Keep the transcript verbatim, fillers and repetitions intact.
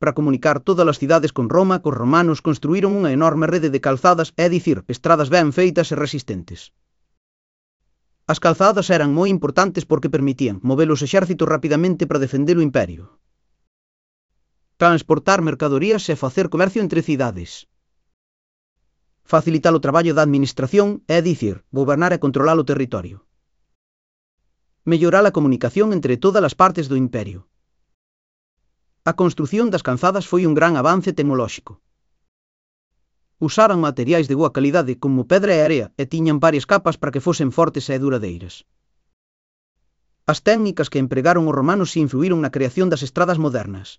Para comunicar todas as cidades con Roma, cos romanos construíron unha enorme rede de calzadas, é dicir, estradas ben feitas e resistentes. As calzadas eran moi importantes porque permitían mover os exércitos rapidamente para defender o imperio, transportar mercadorías e facer comercio entre cidades, facilitar o traballo da administración, é dicir, gobernar e controlar o territorio, mellorar a comunicación entre todas as partes do imperio. A construción das calzadas foi un gran avance tecnolóxico. Usaran materiais de boa calidade como pedra e area e tiñan varias capas para que fosen fortes e duradeiras. As técnicas que empregaron os romanos influíron na creación das estradas modernas.